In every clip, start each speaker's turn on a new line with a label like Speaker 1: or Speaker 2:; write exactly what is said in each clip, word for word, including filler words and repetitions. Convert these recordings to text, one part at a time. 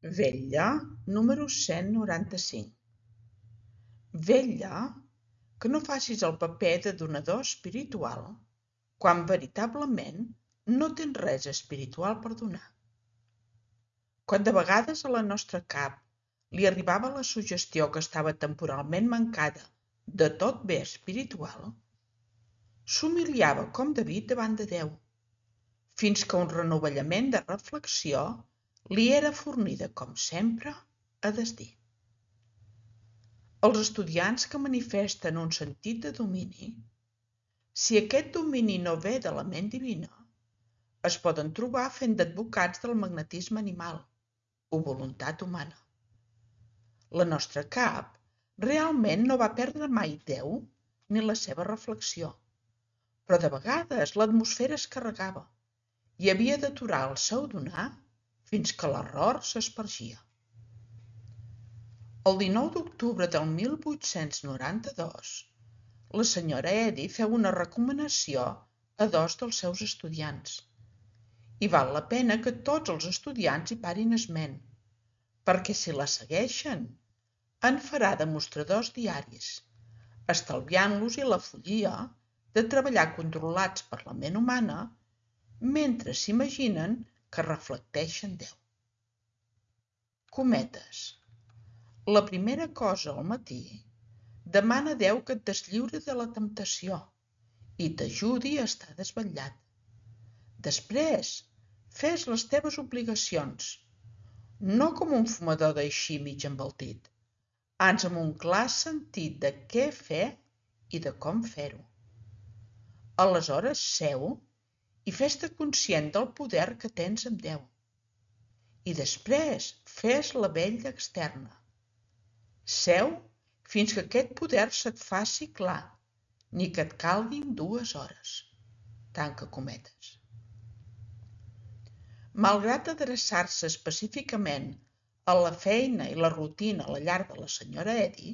Speaker 1: Vetlla número cent noranta-cinc. Vetlla que no facis el paper de donador espiritual quan veritablement no tens res espiritual per donar. Quan de vegades a la nostra cap li arribava la suggestió que estava temporalment mancada de tot bé espiritual, s'humiliava com David davant de Déu, fins que un renovellament de reflexió li era fornida, com sempre, a desdir. Els estudiants que manifesten un sentit de domini, si aquest domini no ve de la ment divina, es poden trobar fent d'advocats del magnetisme animal o voluntat humana. La nostra cap realment no va perdre mai Déu ni la seva reflexió, però de vegades l'atmosfera es carregava i havia d'aturar el seu donar fins que l'error s'espargia. El dinou d'octubre del mil vuit-cents noranta-dos, la senyora Eddy feu una recomanació a dos dels seus estudiants, i val la pena que tots els estudiants hi parin esment, perquè si la segueixen, en farà demostradors diaris, estalviant-los i la follia de treballar controlats per la ment humana mentre s'imaginen que reflecteixen Déu. Cometes. La primera cosa al matí, demana a Déu que et deslliuri de la temptació i t'ajudi a estar desvetllat. Després, fes les teves obligacions, no com un fumador d'així mig embaltit, ans amb un clar sentit de què fer i de com fer-ho. Aleshores seu i fes-te conscient del poder que tens amb Déu. I després fes la vetlla externa. Seu fins que aquest poder se't faci clar, ni que et calguin dues hores. Tanca cometes. Malgrat adreçar-se específicament a la feina i la rutina a la llar de la senyora Eddy,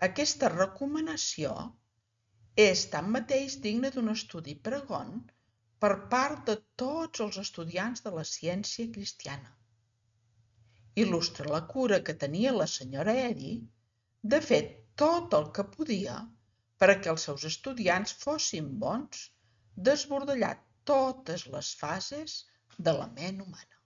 Speaker 1: aquesta recomanació és tanmateix digna d'un estudi pregon per part de tots els estudiants de la ciència cristiana. Il·lustra la cura que tenia la senyora Eddy de fer tot el que podia perquè els seus estudiants fossin bons, desbordellar totes les fases de la ment humana.